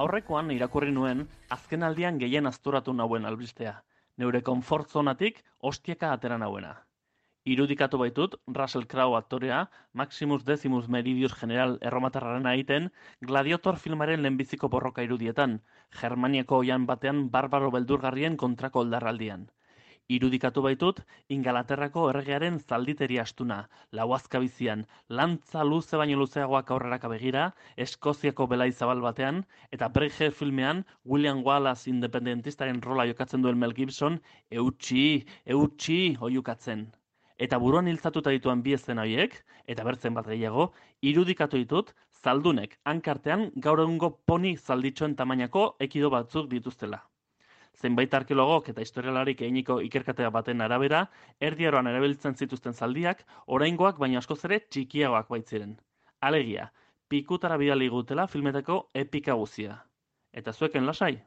Aurrekoan irakurri nuen azken aldian gehien azturatu nauen albistea. Neure konfort zonatik ostieka atera nauena. Irudikatu baitut Russell Crowe aktorea Maximus Decimus Meridius General erromatarraren egiten Gladiator filmaren lehenbiziko borroka irudietan, Germaniako oihan batean barbaro beldurgarrien kontrako oldarraldian. Irudikatu baitut Ingalaterrako erregearen zalditeria astuna, lauazka bizian, lantza luze baino luzeagoak aurreraka begira, Eskoziako belai zabal batean, eta Braveheart filmean William Wallace independentistaren rola jokatzen duen Mel Gibson, eutxi oiukatzen. Eta buruan hiltzatuta dituan bi eszena horiek, eta bertzen bat gehiago, irudikatu ditut zaldunek hankartean gaur egungo poni zalditxoen tamainako ekido batzuk dituztela. Zenbait arkeologok eta historialarik eginiko ikerketa baten arabera, Erdi Aroan erabiltzen zituzten zaldiak, oraingoak baina askoz ere txikiagoak baitziren. Alegia, pikutara bidali gutela filmetako epika guzia. Eta zueken lasai?